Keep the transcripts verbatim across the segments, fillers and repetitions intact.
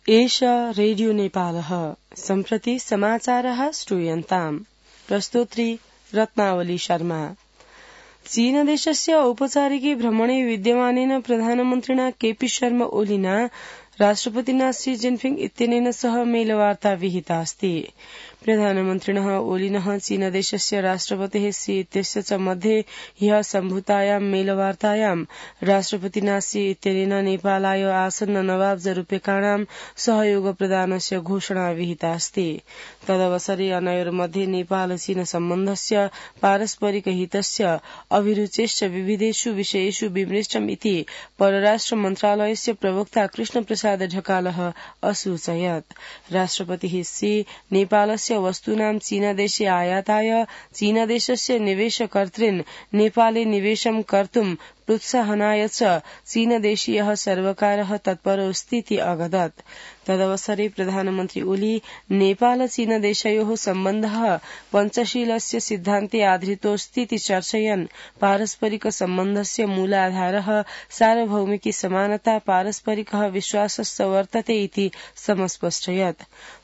एष रेडियो नेपालः सम्प्रति समाचारः श्रूयन्ताम्। प्रस्तोत्री रत्नावली शर्मा। चीनदेशस्य औपचारिके भ्रमणे विद्यमानेन प्रधानमन्त्रिणा केपी शर्मा ओलीना राष्ट्रपतिना शी जिनपिंग इत्यनेन सह मेलवार्ता विहिता अस्ति। प्रधानमन्त्रिणः ओलिनः चीनदेशस्य राष्ट्रपतेः शी इत्यस्य च मध्ये ह्यः सम्भूतायां मेलवार्तायां राष्ट्रपतिना शी इत्यनेन नेपालाय आसन्न नवाब्जरूप्यकाणां सहयोग प्रदानस्य घोषणा विहिता अस्ति। तदवसरे अनयोर्मध्ये नेपाल चीन सम्बन्धस्य पारस्परिक हितस्य अभिरुचेश्च विविधेषु विषयेषु विमृष्टम् इति परराष्ट्र मन्त्रालयस्य प्रवक्ता कृष्ण प्रसाद ढकालः असूचयत्। राष्ट्रपतिः शी नेपालस्य वस्तूनां चीनदेशे आयाताय चीनदेशस्य निवेशकर्तॄन् नेपाले निवेशं कर्तुं प्रोत्साहनाय च चीनदेशीयः सर्वकारः तत्परोऽस्तीति अवदत्। तदवसरे प्रधानमन्त्री ओली नेपाल चीनदेशयोः सम्बन्धः पञ्चशीलस्य सिद्धान्ते आधृतोऽस्तीति चर्चयन् पारस्परिक सम्बन्धस्य मूलाधारः सार्वभौमिकी समानता पारस्परिकः विश्वासश्च वर्तते इति समस्पष्टयत्।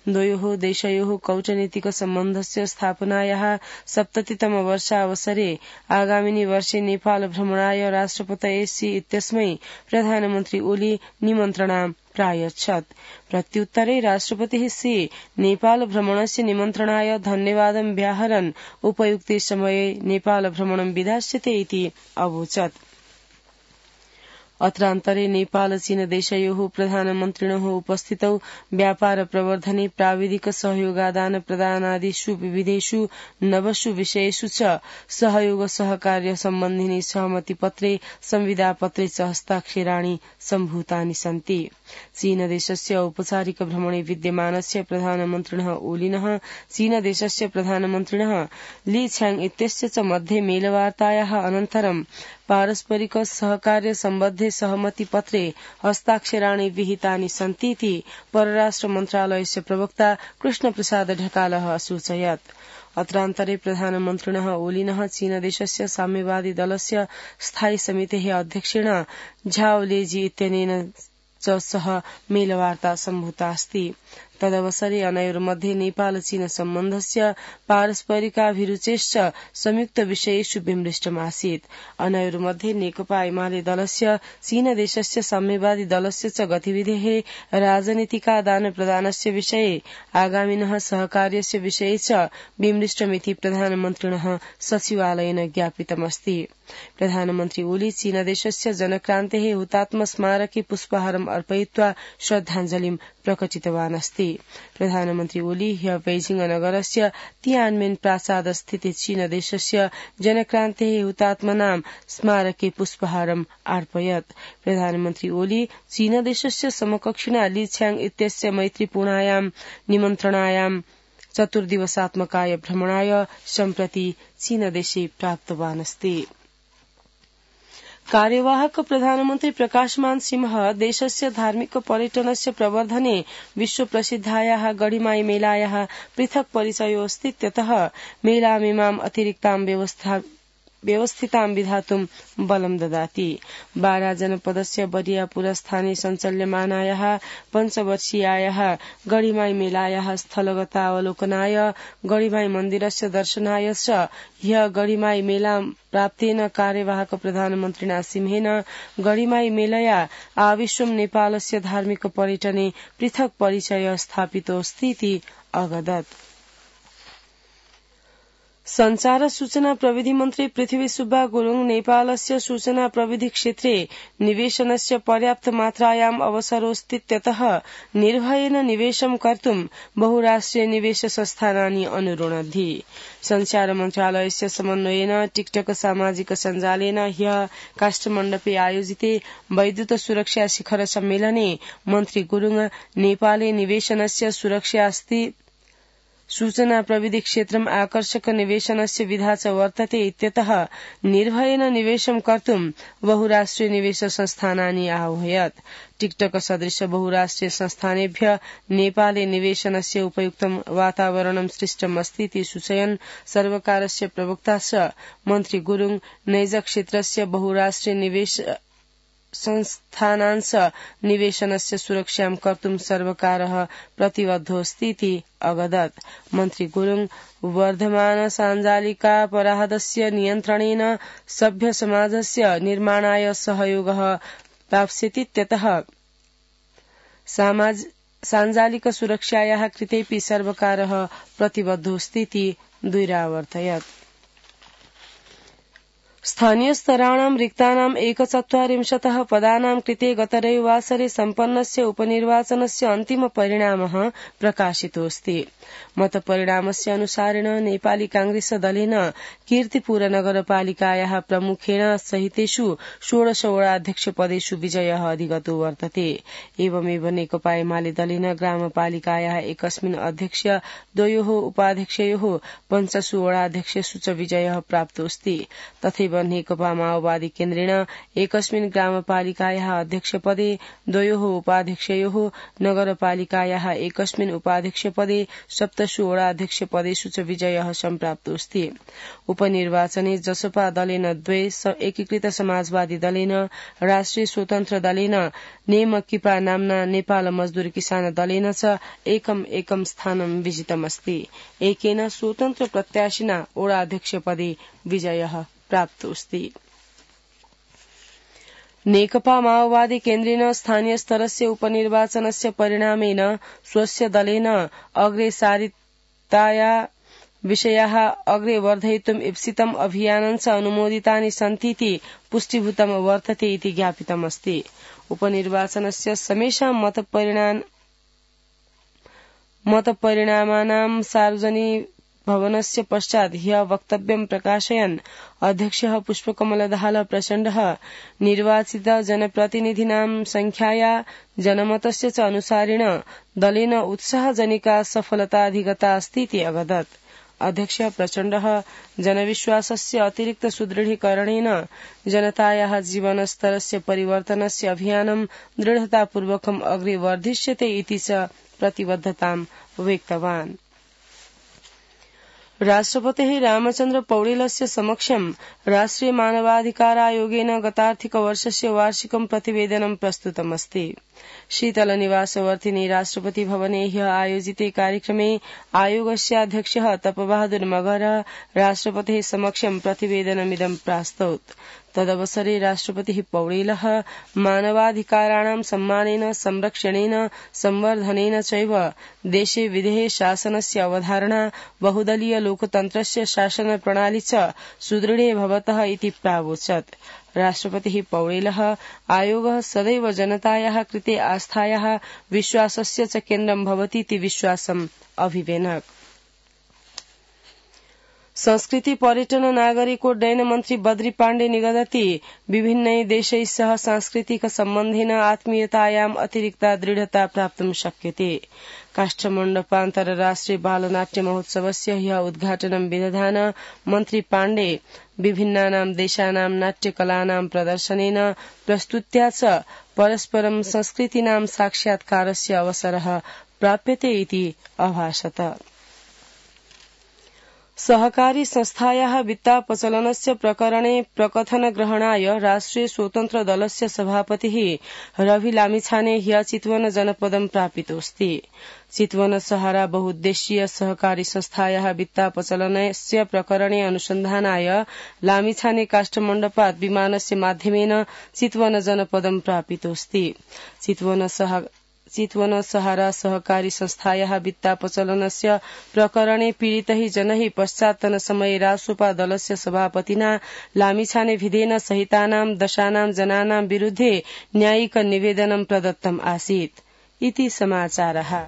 द्वयोः देशयोः कूटनीतिक सम्बन्धस्य स्थापनायाः सप्ततितम वर्षावसरे आगामिनि वर्षे नेपाल भ्रमणाय राष्ट्रपतये शी इत्यस्मै प्रधानमन्त्री ओली निमन्त्रणां प्रायच्छत्। प्रत्युत्तरे राष्ट्रपतिः शी नेपाल भ्रमणस्य निमन्त्रणाय धन्यवादं व्याहरन् उपयुक्ते समये नेपाल भ्रमणं विधास्यते इति अवोचत्। अत्रान्तरे नेपाल चीन देशयोः प्रधानमन्त्रिणः उपस्थितौ व्यापार प्रवर्धने प्राविधिक सहयोगादान प्रदानादिषु विविधेषु नवसु विषयेषु च सहयोग सहकार्य सम्बन्धिनि सहमतिपत्रे संविदापत्रे च हस्ताक्षराणि सम्भूतानि सन्ति। चीनदेशस्य औपचारिक भ्रमणे विद्यमानस्य प्रधानमन्त्रिणः ओलिनः चीनदेशस्य प्रधानमन्त्रिणः ली छ्याङ इत्यस्य च मध्ये मेलवार्तायाः अनन्तरं पारस्परिक सहकार्य सम्बद्धे सहमति पत्रे हस्ताक्षराणि विहितानि सन्तीति परराष्ट्र मन्त्रालयस्य प्रवक्ता कृष्ण प्रसाद ढकालः असूचयत्। अत्रान्तरे प्रधानमन्त्रिणः ओलिनः चीनदेशस्य साम्यवादी दलस्य स्थायी समितेः अध्यक्षेण झाओ लेजी इत्यनेन च सह मेलवार्ता सम्भूता अस्ति। तदवसरे अनयोर्मध्ये नेपाल चीन सम्बन्धस्य पारस्परिकाभिरुचेश्च संयुक्त विषयेषु विमृष्टमासीत्। अनयोर्मध्ये नेकपा एमाले दलस्य चीनदेशस्य साम्यवादी दलस्य च गतिविधेः राजनीतिकादान प्रदानस्य विषये आगामिनः सहकार्यस्य विषये च विमृष्टमिति प्रधानमन्त्रिणः सचिवालयेन ज्ञापितमस्ति। प्रधानमन्त्री ओली चीनदेशस्य जनक्रान्तेः हुतात्म स्मारके पुष्पहारम् अर्पयित्वा श्रद्धाञ्जलिं प्रकटितवान् अस्ति। प्रधानमन्त्री ओली ह्यः बेजिङ नगरस्य तियानमेन प्रासाद स्थिते चीनदेशस्य जनक्रान्तेः हुतात्मनां स्मारके पुष्पहारम् अर्पयत्। प्रधानमन्त्री ओली चीनदेशस्य समकक्षिणा ली छ्याङ इत्यस्य मैत्रीपूर्णायां निमन्त्रणायां चतुर्दिवसात्मकाय भ्रमणाय सम्प्रति चीनदेशे प्राप्तवान् अस्ति। कार्यवाहक प्रधानमन्त्री प्रकाशमान सिंह देशस्य धार्मिक पर्यटनस्य प्रवर्धने विश्व प्रसिद्धायाः गढीमाई मेलायाः पृथक् परिचयोऽस्तीत्यतः मेलामिमाम् अतिरिक्तां व्यवस्था व्यवस्थितां विधातुं बलं ददाति। बारा जनपदस्य बरियापुर स्थाने सञ्चाल्यमानायाः पञ्चवर्षीयायाः गढीमाई मेलायाः स्थलगतावलोकनाय गढीमाई मन्दिरस्य दर्शनाय च ह्यः गढीमाई मेला प्राप्तेन कार्यवाहक प्रधानमन्त्रिणा सिंहेन गढीमाई मेलया आविश्वं नेपालस्य धार्मिक पर्यटने पृथक् परिचय स्थापितोऽस्तीति अवदत्। संचार सूचना प्रविधि मन्त्री पृथ्वी सुब्बा गुरुङ नेपालस्य सूचना प्रविधि क्षेत्रे निवेशनस्य पर्याप्त मात्रायाम् अवसरोऽस्तीत्यतः निर्भयेन निवेशं कर्तुं बहुराष्ट्रिय निवेश संस्थानानि अनुरुणद्धि। संचार मन्त्रालयस्य समन्वयेन टिकटक सामाजिक सञ्जालेन ह्यः काष्ठमण्डपे आयोजिते वैद्युत सुरक्षा शिखर सम्मेलने मन्त्री गुरुङ नेपाले निवेशनस्य सुरक्षा अस्ति सूचना प्रविधि क्षेत्रम् आकर्षक निवेशनस्य विधा च वर्तते इत्यतः निर्भयेन निवेशं कर्तुं बहुराष्ट्रिय निवेश संस्थानानि आह्वयत्। टिकटक सदृश बहुराष्ट्रिय संस्थानेभ्य नेपाले निवेशनस्य उपयुक्तं वातावरणं सृष्टम् अस्तीति सूचयन् सर्वकारस्य प्रवक्ता च मन्त्री गुरुङ नैज क्षेत्रस्य बहुराष्ट्रिय निवेश संस्थानांश निवेशनस्य सुरक्षां कर्तुं सर्वकारः प्रतिबद्धोऽस्ति इति अवदत्। मन्त्री गुरुङ वर्धमान साञ्जालिकापराधस्य नियन्त्रणेन सभ्य समाजस्य निर्माणाय सहयोगः प्राप्स्यतीत्यतः साञ्जालिक सुरक्षायाः कृतेऽपि सर्वकारः प्रतिबद्धोऽस्ति इति द्विरावर्तयत्। स्थानीय स्तराणां रिक्तानां एकचत्वारिंशतः पदानां कृते गतरविवासरे सम्पन्नस्य उपनिर्वाचनस्य अन्तिम परिणामः प्रकाशितोऽस्ति। मतपरिणामस्य अनुसारेण नेपाली कांग्रेस दलेन कीर्तिपुर नगरपालिकायाः प्रमुखेण सहितेषु षोडशवटाध्यक्ष पदेषु विजयः अधिगतो वर्तते। एवमेव नेकपा एमाले दलेन ग्रामपालिकायाः एकस्मिन् अध्यक्ष द्वयोः उपाध्यक्षयोः पञ्चसु वटाध्यक्षेषु च विजयः प्राप्तोऽस्ति। तथैव नेकपा माओवादी केन्द्रेण एकस्मिन् ग्रामपालिकायाः अध्यक्षपदे द्वयोः उपाध्यक्षयोः नगरपालिकायाः एकस्मिन् उपाध्यक्षपदे सप्तसु वटाध्यक्ष पदेषु च विजयः सम्प्राप्तोऽस्ति। उपनिर्वाचने जसपा दलेन द्वे, एकीकृत समाजवादी दलेन, राष्ट्रिय स्वतन्त्र दलेन, नेमकिपा नाम्ना नेपाल मजदूर किसान दलेन च एकम एकम स्थानं विजितमस्ति। एकेन स्वतन्त्र प्रत्याशिना वटाध्यक्ष पदे विजयः प्राप्तोऽस्ति। नेकपा माओवादी केन्द्रेण स्थानीय स्तरस्य उपनिर्वाचनस्य परिणामेन स्वस्य दलेन अग्रेसारिताया विषयाः अग्रे वर्धयितुम् ईप्सितम् अभियानं च अनुमोदितानि सन्तीति पुष्टीभूतं वर्तते इति ज्ञापितमस्ति। उपनिर्वाचनस्य समेषां मतपरिणामानां सार्वजनिक भवनस्य पश्चात् ह्यः वक्तव्यं प्रकाशयन् अध्यक्षः पुष्पकमलदाहाल प्रचण्डः निर्वाचित जनप्रतिनिधीनां संख्याया जनमतस्य च अनुसारेण दलेन उत्साहजनिका सफलताधिगता अस्ति इति अवदत्। अध्यक्ष प्रचण्डः जनविश्वासस्य अतिरिक्त सुदृढीकरणेन जनतायाः जीवनस्तरस्य परिवर्तनस्य अभियानं दृढतापूर्वकम् अग्रे वर्धिष्यते इति च प्रतिबद्धतां व्यक्तवान्। राष्ट्रपतिः रामचन्द्र पौडेलस्य समक्षं राष्ट्रिय मानवाधिकार आयोगेन गतार्थिकवर्षस्य वार्षिकं प्रतिवेदनं प्रस्तुतमस्ति। शीतलनिवासवर्तिनि राष्ट्रपति भवने ह्यः आयोजिते कार्यक्रमे आयोगस्य अध्यक्षः तपबहादुर मगरः राष्ट्रपतेः समक्षं प्रतिवेदनमिदं प्रास्तौत्। तदवसरे राष्ट्रपतिः पौडेलः मानवाधिकाराणां सम्मानेन, संरक्षणेन, संवर्धनेन चैव देशे विधेः शासनस्य अवधारणा, बहुदलीय लोकतन्त्रस्य शासन प्रणाली च सुदृढे भवतः इति प्रावोचत्। राष्ट्रपतिः पौडेलः आयोगः सदैव जनतायाः कृते आस्थायाः, विश्वासस्य च केन्द्रं भवतीति विश्वासम् अभिवेनक्। संस्कृति पर्यटन नागरिकोड्डयन मन्त्री बद्री पाण्डे निगदति विभिन्नै देशैः सह सांस्कृतिक सम्बन्धेन आत्मीयतायाम् अतिरिक्ता दृढता प्राप्तुं शक्यते। काष्ठमण्डपान्तरराष्ट्रिय बालनाट्य महोत्सवस्य ह्यः उद्घाटनं विदधान मन्त्री पाण्डे विभिन्नानां देशानां नाट्यकलानां प्रदर्शनेन प्रस्तुत्या च परस्परं संस्कृतीनां साक्षात्कारस्य अवसरः प्राप्यते इति अभाषत। सहकारी संस्थायाः वित्तापचलनस्य प्रकरणे प्रकथनग्रहणाय राष्ट्रिय स्वतन्त्र दलस्य सभापतिः रवि लामिछाने ह्यः चितवन जनपदं प्रापितोऽस्ति। चितवन सहारा बहुद्देशीय सहकारी संस्थायाः वित्तापचलनस्य प्रकरणे अनुसन्धानाय लामिछाने काष्ठमण्डपात् विमानस्य माध्यमेन चितवन जनपदं प्रापितोऽस्ति। चितवन सह चितवन सहारा सहकारी संस्थायाः वित्तापचलनस्य प्रकरणे पीडितैः जनैः पश्चात्तन समये रासोपा दलस्य सभापतिना लामिछाने विधेन सहितानां दशानां जनानां विरुद्धे न्यायिक निवेदनं प्रदत्तम् आसीत् इति समाचारः।